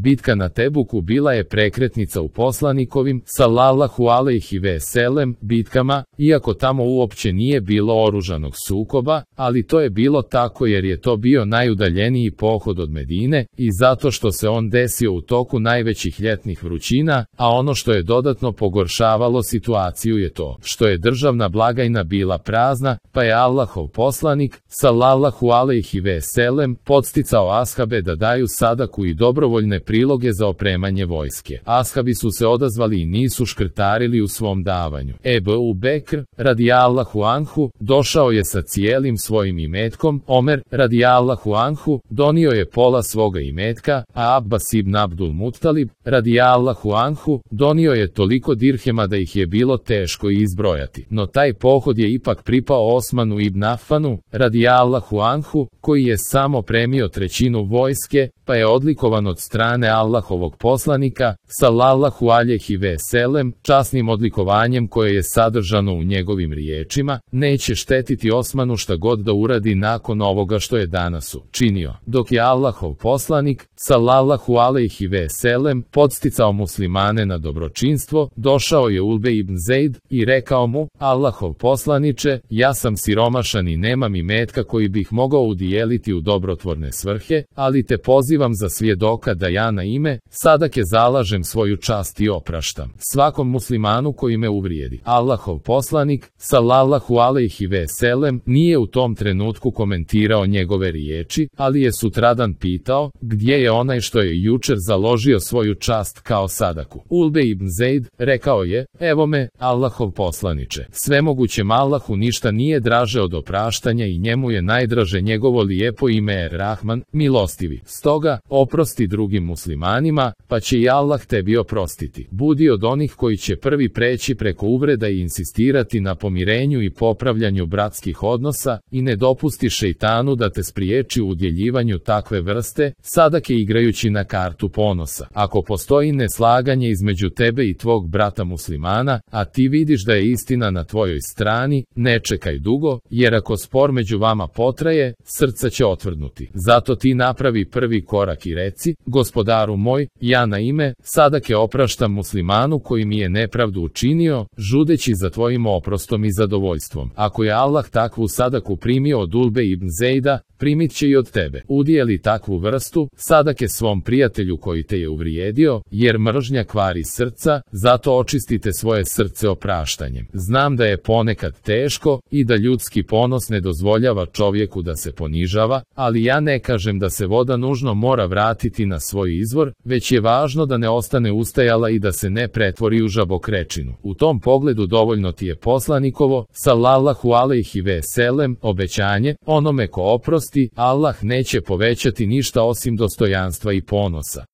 Bitka na Tebuku bila je prekretnica u poslanikovim, sallallahu alejhi ve selem, bitkama, iako tamo uopće nije bilo oružanog sukoba, ali to je bilo tako jer je to bio najudaljeniji pohod od Medine i zato što se on desio u toku najvećih ljetnih vrućina, a ono što je dodatno pogoršavalo situaciju je to što je državna blagajna bila prazna, pa je Allahov poslanik, sallallahu alejhi ve selem, podsticao ashabe da daju sadaku i dobrovoljne priloge za opremanje vojske. Ashabi su se odazvali i nisu škrtarili u svom davanju. Ebu Bekr, radijallahu anhu, došao je sa cijelim svojim imetkom, Omer, radijallahu anhu, donio je pola svoga imetka, a Abbas ibn Abdul Muttalib, radijallahu anhu, donio je toliko dirhema da ih je bilo teško izbrojati. No taj pohod je ipak pripao Osmanu ibn Affanu, radijallahu anhu, koji je samo premio trećinu vojske, pa je odlikovan od strane Allahovog poslanika, sallallahu alejhi ve selem, časnim odlikovanjem koje je sadržano u njegovim riječima, neće štetiti Osmanu šta god da uradi nakon ovoga što je danas učinio. Dok je Allahov poslanik, sallallahu alejhi ve selem, podsticao muslimane na dobročinstvo, došao je Ulbe ibn Zeid i rekao mu, Allahov poslaniče, ja sam siromašan i nemam imetka koji bih mogao udijeliti u dobrotvorne svrhe, ali te pozivam za svjedoka da ja na ime sadake zalažem svoju čast i opraštam svakom muslimanu koji me uvrijedi. Allahov poslanik, sallallahu alejhi ve selem, nije u tom trenutku komentirao njegove riječi, ali je sutradan pitao, gdje je onaj što je jučer založio svoju čast kao sadaku. Ulbe ibn Zeid rekao je, evo me, Allahov poslaniče, svemogućem Allahu ništa nije draže od opraštanja i njemu je najdraže njegovo lijepo ime Rahman, milostivi. Stoga, oprosti drugim muslimanima, pa će i Allah tebi oprostiti. Budi od onih koji će prvi preći preko uvreda i insistirati na pomirenju i popravljanju bratskih odnosa i ne dopusti šejtanu da te spriječi u udjeljivanju takve vrste sadake igrajući na kartu ponosa. Ako postoji neslaganje između tebe i tvog brata muslimana, a ti vidiš da je istina na tvojoj strani, ne čekaj dugo, jer ako spor među vama potraje, srca će otvrdnuti. Zato ti napravi prvi korak i reci, gospodaru moj, ja na ime sadake opraštam muslimanu koji mi je nepravdu učinio, žudeći za tvojim oprostom i zadovoljstvom. Ako je Allah takvu sadaku primio od Ulbe ibn Zejda, primit će i od tebe. Udijeli takvu vrstu sadake svom prijatelju koji te je uvrijedio, jer mržnja kvari srca, zato očistite svoje srce opraštanjem. Znam da je ponekad teško i da ljudski ponos ne dozvoljava čovjeku da se ponižava, ali ja ne kažem da se voda nužno mora vratiti na svoj izvor, već je važno da ne ostane ustajala i da se ne pretvori u žabokrečinu. U tom pogledu dovoljno ti je poslanikovo, sallallahu alejhi ve selem, obećanje, onome ko oprosti, Allah neće povećati ništa osim dostojanstva i ponosa.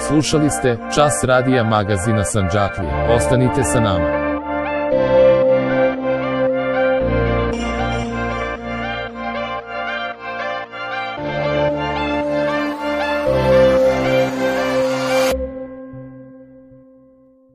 Slušali ste Čas radija magazina Sandžaklija. Ostanite sa nama.